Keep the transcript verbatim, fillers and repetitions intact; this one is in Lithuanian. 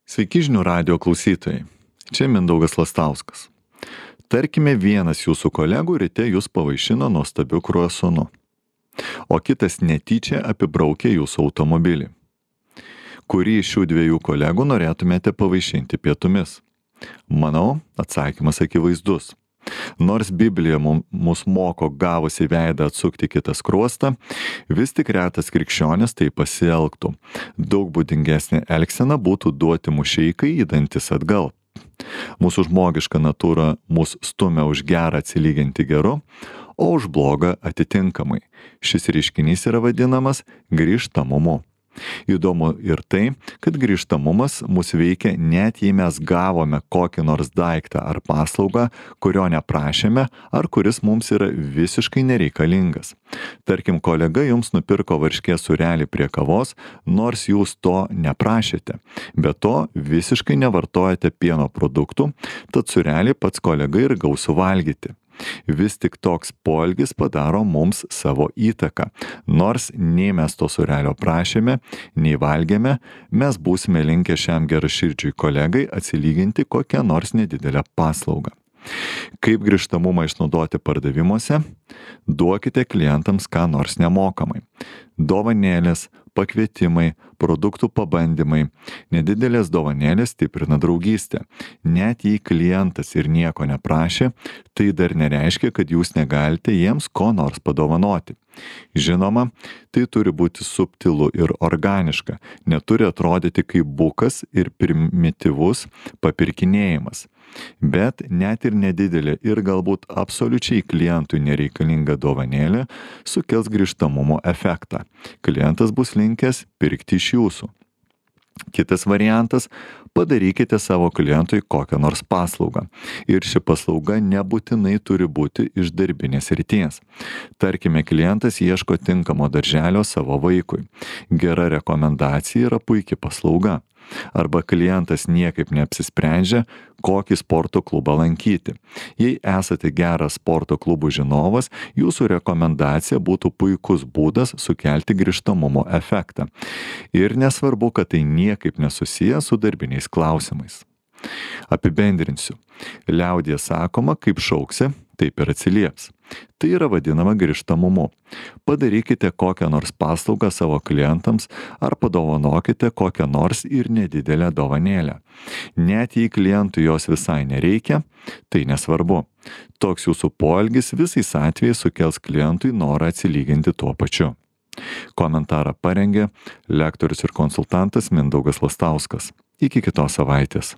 Sveiki žinių radijo klausytojai. Čia Mindaugas Lastauskas. Tarkime, vienas jūsų kolegų ryte jūs pavaišino nuostabiu kruasonu, o kitas netyčia apibraukė jūsų automobilį. Kurį iš šių dviejų kolegų norėtumėte pavaišinti pietumis? Manau, atsakymas akivaizdus. Nors Biblija mus moko gavus į veidą atsukti kitą skruostą, vis tik retas krikščionis tai pasielgtų. Daug būdingesnė elgsena būtų duoti mušeikai į dantis atgal. Mūsų žmogiška natūra mus stumia už gerą atsilyginti geru, o už blogą atitinkamai. Šis reiškinys yra vadinamas grįžtamumu. Įdomu ir tai, kad grįžtamumas mus veikia net jei mes gavome kokį nors daiktą ar paslaugą, kurio neprašėme ar kuris mums yra visiškai nereikalingas. Tarkim, kolega jums nupirko varškės sūrelį prie kavos, nors jūs to neprašėte. Be to, visiškai nevartojate pieno produktų, tad sūrelį pats kolega ir gaus suvalgyti. Vis tik toks poelgis padaro mums savo įtaką. Nors nei mes to sūrelio prašėme, nei valgėme, mes būsime linkę šiam geraširdžiui kolegai atsilyginti kokią nors nedidelę paslaugą. Kaip grįžtamumą išnaudoti pardavimuose? Duokite klientams ką nors nemokamai. Dovanėlės, pakvietimai, produktų pabandymai. Nedidelės dovanėlės stiprina draugystę. Net jei klientas ir nieko neprašė, tai dar nereiškia, kad jūs negalite jiems ko nors padovanoti. Žinoma, tai turi būti subtilu ir organiška, neturi atrodyti kaip bukas ir primityvus papirkinėjimas. Bet net ir nedidelė ir galbūt absoliučiai klientui nereikalinga dovanėlė sukels grįžtamumo efektą. Klientas bus linkęs pirkti iš jūsų. Kitas variantas – padarykite savo klientui kokią nors paslaugą. Ir ši paslauga nebūtinai turi būti iš darbinės srities. Tarkime, klientas ieško tinkamo darželio savo vaikui. Gera rekomendacija yra puikia paslauga. Arba klientas niekaip neapsisprendžia, kokį sporto klubą lankyti. Jei esate geras sporto klubų žinovas, jūsų rekomendacija būtų puikus būdas sukelti grįžtamumo efektą. Ir nesvarbu, kad tai niekaip nesusiję su darbiniais klausimais. Apibendrinsiu. Liaudyje sakoma, kaip šauksi, taip ir atsilieps. Tai yra vadinama grįžtamumu. Padarykite kokią nors paslaugą savo klientams ar padovanokite kokią nors ir nedidelę dovanėlę. Net jei klientui jos visai nereikia, tai nesvarbu. Toks jūsų poelgis visais atvejais sukels klientui norą atsilyginti tuo pačiu. Komentarą parengė lektorius ir konsultantas Mindaugas Lastauskas. Iki kitos savaitės.